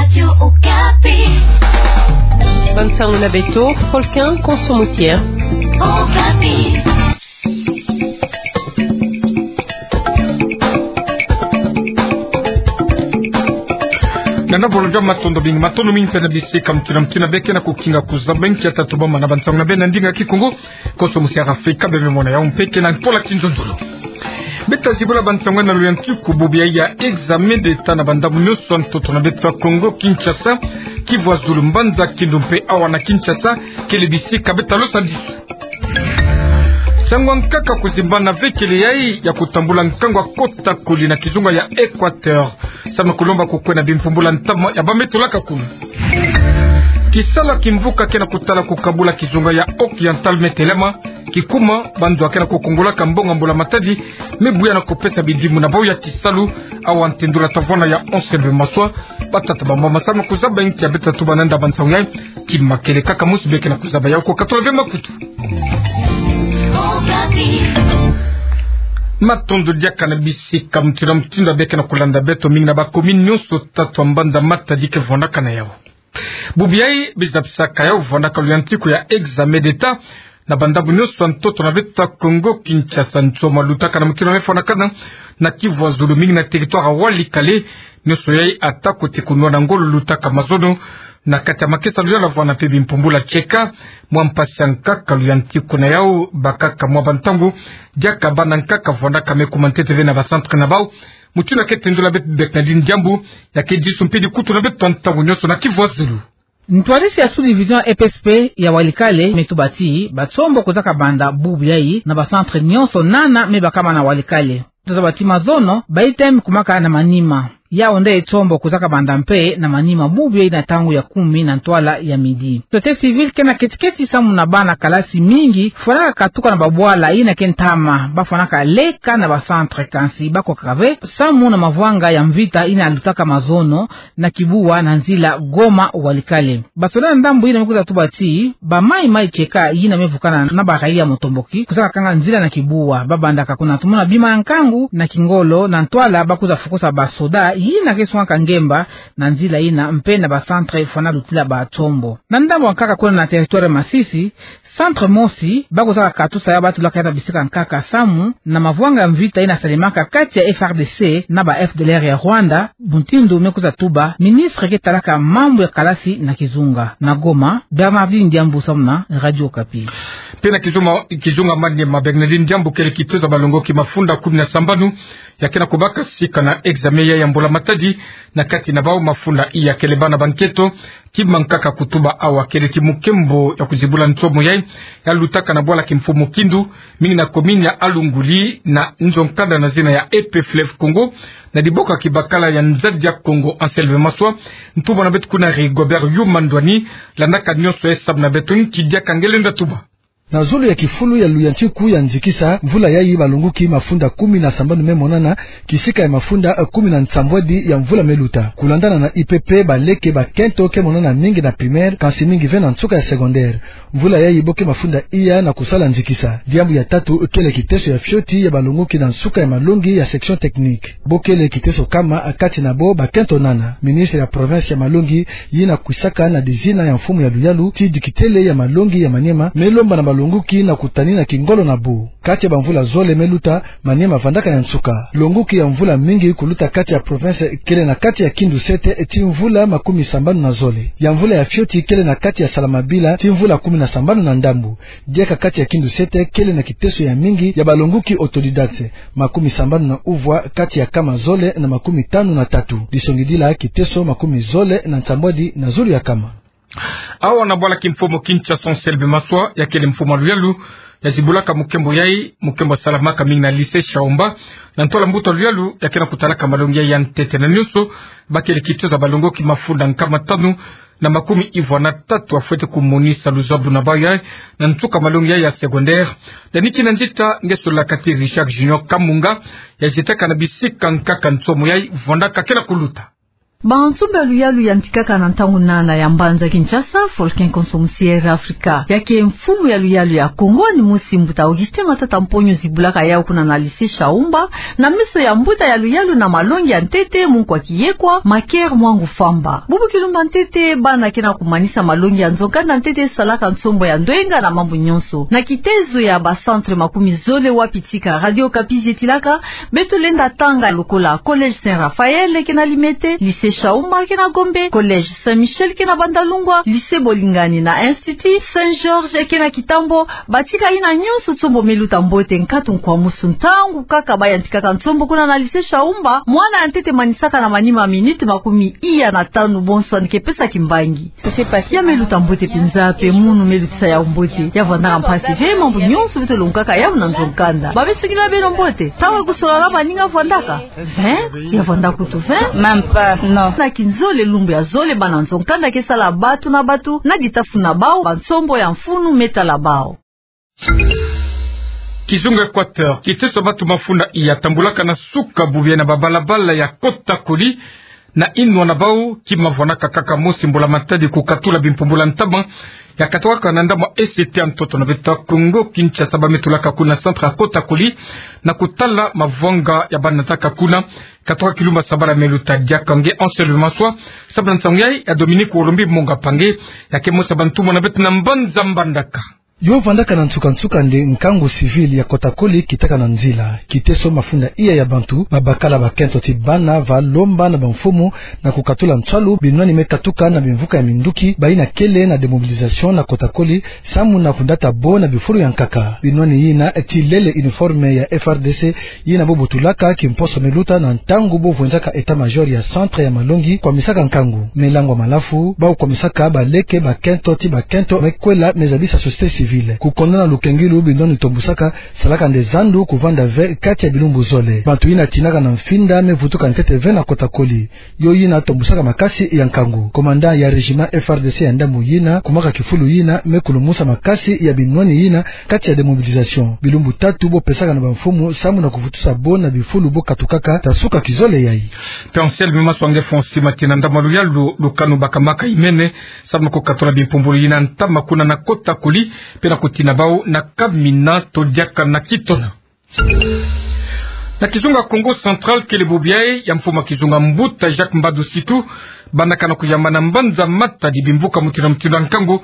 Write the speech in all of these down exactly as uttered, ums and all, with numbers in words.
Radio Okapi. Bansango na beto, Volcan Konso Musière. Okapi. Nana bolonja matondo mingi, matondo mingi mpe na bisika mutuna mutuna beke na kukinga kuzaba nki ya tatu bama na bansango na beno na ndinga Kikongo. Konso Musière Afrika, bebe mona ya umpeke na ntola kinzonzolo. Beta zibula bansango na luyantiku bubu ya examen d'État na bandambu nyonso ntoto na beto ya Kongo Kinshasa, Kivu ya Zulu, Mbanza Kindu mpe awa na Kinshasa, kele bisika beta losa ndisu. Sango ya nkaka kuzimbana ve kele yayi ya kutambula nkangu ya kota kuli na kizunga ya Équateur. Samu na kulomba kukwena bimpumbula ntama ya bame tulaka kulu. Kisalu kimvuka ke na kutala kukabula kizunga ya Occidental me telema, kikuma, bantu ke na kukungulaka mbongo ya mbula matadi, me buya na kupesa bidimbu na bau ya kisalu, awa ntendula tavana ya Anselme Maswa, batata bamama samu na kuzaba nki ya beta tuba na nda bansango yayi, kima kele kaka musu beke na kuzaba yau ko katula ve makutu. Matondo diaka na bisika mutuna mutuna beke na kulanda beto mingi na ba commune nyonso tatu ya Mbanza Matadi ke vwandaka na yau. Bubu yayi, biza bisaka yau vwandaka luyantiku ya examen d'État na bandambu nyonso ntoto na beto ya Kongo Kinshasa. Nsomo lutaka na mukino me fwanakana na Kivu ya Zulu, mingi na territoire ya Walikale, nyonso yayi ata kote kunwa na ngolo lutaka mazono, na kati ya makesa luyalu vwanda mpe bimpumbula tieka. Mwa mpasi ya nkaka luyantiku na yau, bakaka mwa bantangu, diaka bana nkaka vwandaka me kuma ntete ve na ba centre na bau. Mutuna ke tendula beto Bernardine Diambu, ya ke disu mpe dikutu na beto ntangu nyonso na Kivu ya Zulu. Ntwadisi ya sous-division E P S P ya Walikale me tuba ti, ba tsombo kwiza kabanda bubu yayi na ba centre nyonso nana me bakama na Walikale. Tozaba ti mazono, ba item kumaka na manima. Yau nde tsombo kwiza kabanda mpe na manima bubu yayi na ntangu ya kumi na ntwala ya midi. Société civile ke na keti-keti samu na bana kalasi mingi fwanaka katuka na babwala yina ke ntama, bafwanaka leka na ba centre, kansi bakokaka ve samu na mavwanga ya mvita yina lutaka mazono na Kibuwa na nzila Goma Walikale. Basoda na ndambu yina me kwiza tuba ti, ba mayi-mayi tieka yina me vukana na ba raia mutomboki kwiza kakanga nzila na Kibuwa, babandaka kuna tumona bima ya nkangu na kingolo, na ntwala bakwiza fukusa basoda yina ke sungaka ngemba na nzila yina mpe na ba centre fwana lutila ba tsombo. Na ndambu ya nkaka kuna na territoire Masisi, centre mosi bakwizaka katusa yau, batulaka yau na bisika nkaka samu na mavwanga ya mvita yina salemaka kati ya F R D C na ba F D L R ya Rwanda, mutindu me kwiza tuba ministre ke talaka mambu ya kalasi na kizunga. Na Goma, Bernardine Diambu samu na Radio Okapi. Mpe na kizuma, kizunga Maniema, Bernardine Diambu, kele kitezo ya balongoki mafunda kumi na sambanu ya ke na kubaka sika na examen ya, ya mbula matadi, na kati na bau mafunda iya kele bana ba nketo. Kima nkaka kutuba awa kele ti mukembo ya kuzibula nsomo yayi, ya lutaka na bwala Kimfumu Kindu, mingi na commune ya Alunguli, na nzo nkanda na zina ya E P Fleuve Congo, na diboka kibakala ya Nzadi ya Kongo Anselme Maswa. Ntumwa na beto kuna Rigobert Yuma Ndwani, landaka nyonso yayi samu na beto, nki diaka nge lenda tuba. Na zulu ya kifulu ya luyantiku ya nzikisa mvula yayi, balongoki mafunda kumi na sambanu me monana, kisika ya mafunda, eh, kumi na nsambwadi ya mvula me luta. Kulandana na I P P, baleke bakento ke monana mingi na primaire, kansi mingi ve na nsuka ya secondaire. Mvula yayi bo ke mafunda iya na kusala nzikisa. Diambu ya tatu kele kiteso ya fioti ya balongoki na nsuka ya malongi ya section technique. Bo kele kiteso kama, kati na bo bakento nana. Ministre ya province ya malongi, yina kwisaka na dizina ya mfumu ya luyalu ti dikitele ya malongi ya Maniema, me lomba na balongoki na kutanina kingolo na bo. Kati ya bamvula zole me luta, Maniema vandaka ya nsuka. Longoki ya mvula mingi kuluta kati ya province kele na kati ya Kindu sete ti mvula makumi sambanu na zole. Ya mvula ya fioti kele na kati ya Salamabila ti mvula kumi na sambanu na ndambu. Diaka kati ya Kindu sete kele na kiteso ya mingi ya balongoki autodidacte, makumi sambanu na uvwa kati ya kama zole na makumi tanu na tatu. Disongidila kiteso makumi zole na nsambwadi na zulu ya kama. Awa na bwala Kimfumu Kinshasa, Anselme Maswa, ya kele mfumu ya luyalu, ya zibulaka mukembo yayi, mukembo salamaka mingi na lycée Shaomba, na ntola mbuta luyalu, ya ke na kutalaka malongi ya ntete na nyonso, bakele kitezo ya balongoki mafunda nkama tanu na makumi ivwa na tatu ya fwete kumonisa luzabu na bau yayi, na nsuka malongi yayi ya secondaire. Daniki na nzita, nge solaka ti Richard Junior Kamunga, ya zitaka na bisika nkaka nsomo yayi vandaka ke na kuluta. Bansombo ya luyalu yantikaka na ntangu nana ya mbanza Kinshasa, Volcan konso musi Air Africa. Ya ke mfumu ya luyalu ya Kongo, ni mosi mbuta Augustin Matata Mponyo zibulaka yau kuna na lycée Shaumba, na miso ya mbuta ya luyalu na malongi ya ntete, Munkwa Kiyekwa, Maker Mwangu Famba. Bubu kilumbu ya ntete, bana ke na kumanisa malongi ya nzo-nkanda ntete salaka nsombo ya ndwenga na mambu nyonso. Na kitezo ya ba centre makumi zole wapi tika Radio Okapi zetilaka, beto lenda tanga lokola Collège Saint Raphaël ke na Limete, Lycée Shaumba ke na Gombe, Collège Saint Michel ke na Bandalungwa, Lycée Bolingani na Institut Saint Georges ke na Kitambo, batika yina nyonso nsombo me luta mbote, nkatu nkwamusu ntangu kaka bayantikaka nsombo kuna na Lycée Shaumba, mwana ya ntete manisaka na manima minute makumi iya na tanu, bonsoir, ni ke pesa kimbangi. Ya me luta mbote mpenza, mpe munu me lutisa yau mbote. Ya vwandaka mpasi ve, mambu nyonso beto longokaka yau na nzo-nkanda. Ba me sukila beno mbote. Ntangu ya kusola na baninga vwandaka vingt, ya vwandaka kutu vingt. Même pas, non. Na kinzole, lumbu ya zole, bana nzo-nkanda ke sala batu na batu na ditafu na bau, bansombo ya mfunu me tala bau. Kizunga Équateur, kiteso batu mafunda iya tambulaka na suka bubu yayi na babalabala ya Kota Koli, na inwa na bau, kima vwanaka kaka mosi mbula-matadi kukatula bimpumbula ntama, ya katwaka na ndambu ya E C T ya ntoto na beto ya Kongo Kinshasa, ba me tulaka kuna centre ya Kota Koli, na kutala mavwanga ya bana taka kuna, katwaka kilumbu ya sabala me luta diaka nge Anselme Maswa, sababu na nsangu yayi ya Dominique Olombi Monga Mpangi, ya ke mosi ya bantumwa na beto na mbanza Mbandaka. Yo vandaka na nsuka-nsuka nde nkangu civil ya Kota Koli kitaka na nzila. Kiteso mafunda iya ya bantu, babakala bakento ti bana, va lomba na bamfumu na kukatula nswalu binwani me katuka na bimvuka ya minduki, bayina kele na démobilisation na Kota Koli, samu na kundata bo na bifulu ya nkaka. Binwani yina ti lele uniforme ya F R D C, yina bo butulaka kimposo me luta na ntangu bo vwenzaka état-major ya centre ya malongi kwamisaka nkangu. Me langwa malafu, bau kwamisaka baleke, bakento ti bakento, me kwela, me zabisa société civile. Kukondana lukengilu binwani tombusaka, salaka nde zandu kuvanda ve kati ya bilumbu zole. Bantu yina tinaka na mfinda me vutuka ntete ve na Kota Koli. Yo yina tombusaka makasi ya nkangu. Commandant ya régiment F R D C ya ndambu yina, kumaka kifulu yina, me kulumusa makasi ya binwani yina kati ya démobilisation. Bilumbu tatu bo pesaka na bamfumu samu na kuvutusa bo na bifulu bo katukaka ta suka kizole yayi. Mpe Anselme Maswa nge fwa nsi ma tina ndambu ya luyalu, lukanu bakamaka imene, samu na kukatula bimpumbulu yina ntama kuna na Kota Koli, mpe na kutina bau na kamina to diaka na kitona. Na kizunga Kongo Central, kele bubu yayi ya mfumu ya kizunga mbuta Jacques Mbadu Situ, bandaka na kuyamba na mbanza Matadi bimvuka mutindu na mutindu ya nkangu,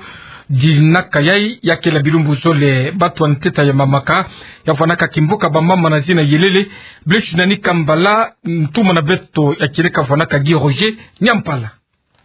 dinaka yayi ya kela bilumbu zole. Batu ya ntete ya mamaka, ya vwanaka kimvuka bamama na zina Yelele, Blaise Nani Kambala, ntumwa na beto ya kieleka vwanaka Guy Roger Nyampala.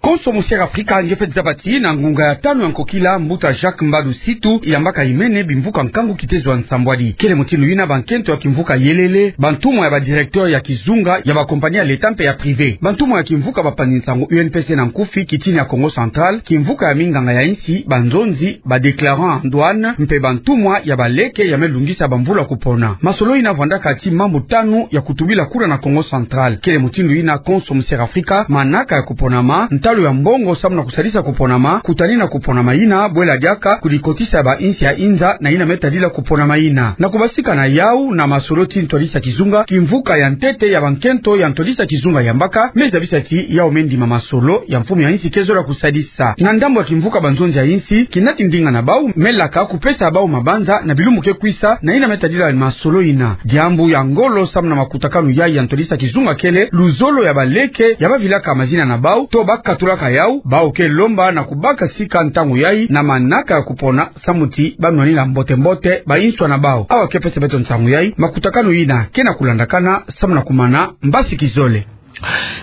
Konso mosi ya Afrika nge fweti zaba ti na ngunga ya tanu ya nkokila, mbuta Jacques Mbadu Situ yambaka imene bimvuka nkangu kitezo ya nsambwadi. Kele mutindu yina bankento ya kimvuka Yelele, bantumwa ya ba directeur ya kizunga ya ba compagnie ya l'État mpe ya privé, bantumwa ya kimvuka bapanzi nsangu U N P C na nkufi, kitini ya Kongo Central, kimvuka ya minganga ya insi, banzonzi, ba déclarant en douane, mpe bantumwa ya baleke ya me lungisa bamvula kupona. Masolo yina vwandaka ti mambu tanu ya kutubila kuna na Kongo Central. Kele mutindu yina konso mosi ya Afrika manaka ya kuponama, ntalu ya mbongo samu na kusalisa kuponama, kutanina kuponama yina, bwela diaka kudikotisa ba insi ya inza na yina me tadila kuponama yina. Na kubasika na yau na masolo ti ntwadisi ya kizunga, kimvuka ya ntete ya bankento ya ntwadisi ya kizunga yambaka, me zabisa ti yau me ndima masolo ya mfumu ya insi ke zola kusadisa. Na ndambu ya kimvuka banzonzi ya insi, kinati ndinga na bau, me laka kupesa bau mabanza na bilumbu ke kwisa, na yina me tadila masolo yina. Diambu ya ngolo samu na makutakanu yayi ya ntwadisi ya kizunga kele luzolo ya baleke ya bavilaka mazina na bau, to bakatulaka yau, bau ke lomba na kubaka sika ntangu yayi na manaka ya kupona, samu ti banwanina mbote-mbote ba inswa na bau. Awa ke pesa beto nsangu yayi, makutakanu yina ke na kulandakana samu na kumana mbasi kizole.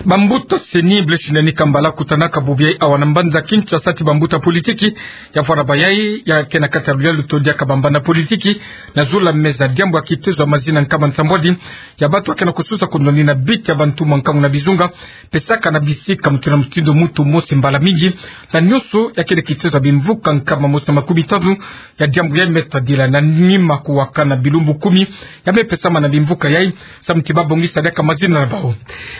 Bambuta CENI, Blaise Nani Kambala kutanaka bubu yayi awa na mbanza Kinshasa ti bambuta politiki, ya vwara bayayi ya ke na kati ya luyalu to diaka bambanda politiki, na zula meza diambu ya kitezo ya mazina nkama nsambwadi ya batu ya ke na kususa kundoni na biti ya bantumwa nkangu na bizunga, pesaka na bisika mutindu na mutindu mutu mosi mbala mingi, na nyonso ya kele kitezo ya bimvuka nkama mosi na makumi tanu ya diambu yayi me tadila na nima kuwakana bilumbu kumi ya me pesama na bimvuka yayi, samu ti babongisa diaka mazina na bau.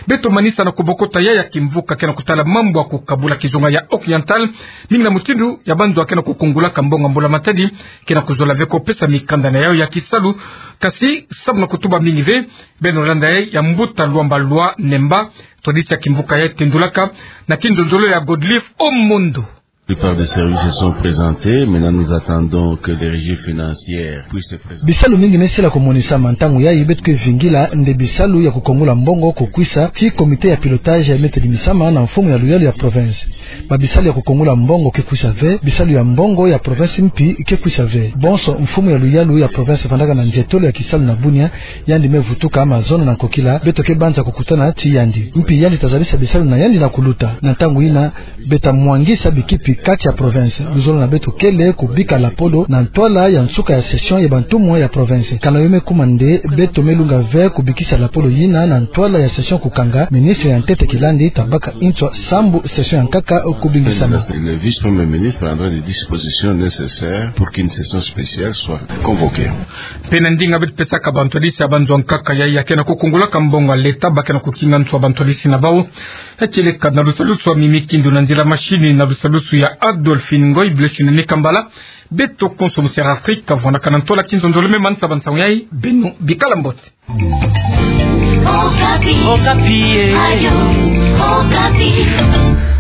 Beto Tomanisa na kobokota yai ya kimvuka ke na kutala mambu ya kukabula kizunga ya Oriental, mingi na mutindu ya banzo ake na kukungulaka mbongo ya mbula matadi, ke na kuzola ve kopesa mikanda na yayo ya kisalu, kasi samu na kutuba mingi ve, beno landa yai ya mbuta Luamba Lwa Nemba, ntwadisi ya kimvuka yai tendulaka, na kinzonzolo ya Godlive Omondo. La plupart des services se sont présentés. Maintenant, nous attendons que les régies financières puissent se présenter. Bisalu mingi me sila komonisama. Ntangu yai beto ke vingila nde bisalu ya kukongola mbongo kukwisa, ti comité ya pilotage ya me tedimisama na mfumu ya luyalu ya province. Ba bisalu ya kukongola mbongo ke kwisa ve, bisalu ya mbongo ya province mpi ke kwisa ve. Bonso mfumu ya luyalu ya province vandaka na nzietolo ya kisalu na bunia, yandi me vutuka mazono na nkokila, beto ke banza kukutana ti yandi. Mpi yandi ta zabisa bisalu na yandi na kuluta. Na ntangu yina, beta mwangisa bikipi kati ya province. Luzolo na beto kele kubika lapolo na ntwala ya nsuka ya session ya bantumwa ya province. Kana yo me kuma nde beto me lunga ve kubikisa lapolo yina na ntwala ya session kukanga, ministre ya ntete kilandi ta baka nswa sambu session ya nkaka kubingisama. Le vice-premier ministre prendra les dispositions nécessaires pour qu'une session spéciale soit convoquée. Mpe na ndinga beto pesaka bantwadisi ya banzo ya nkaka yai ya ke na kukungulaka mbongo ya leta ba ke na kukinga nswa bantwadisi na bau. Ekele ka na lusalusu ya Mimi Kindu, na nzila mashini na lusalusu ya Adolphine Ngoy, Blessing Nikambala. Beto konso mu Sera Afrika, vwandaka na ntola kinzonzolo me manisa bansangu yai, beno bikala mbote. Okapi. Okapi, eh. Radio Okapi.